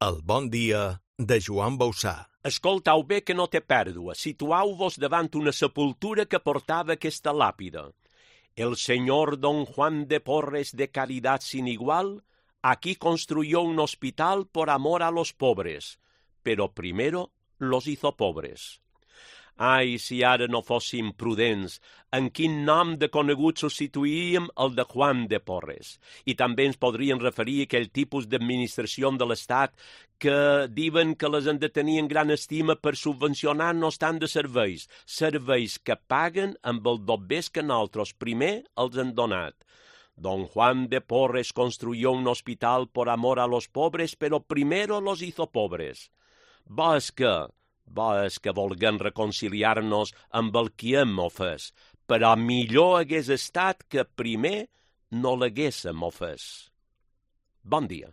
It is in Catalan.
El bon dia de Joan Bausà. Escoltau bé que no té pèrdua. Situau-vos davant una sepultura que portava aquesta làpida. El señor don Juan de Porres de Caridad sin igual aquí construyó un hospital por amor a los pobres, pero primero los hizo pobres. Ai, si ara no fóssim prudents, en quin nom de conegut substituíem el de Juan de Porres. I també ens podrien referir a aquell tipus d'administració de l'Estat que diuen que les han de tenir en gran estima per subvencionar-nos tant de serveis, serveis que paguen amb el dobbers que nosaltres primer els han donat. Don Juan de Porres construyó un hospital por amor a los pobres, pero primero los hizo pobres. Bo és que volguem reconciliar-nos amb el qui hem ofès, però millor hagués estat que primer no l'haguéssem ofès. Bon dia.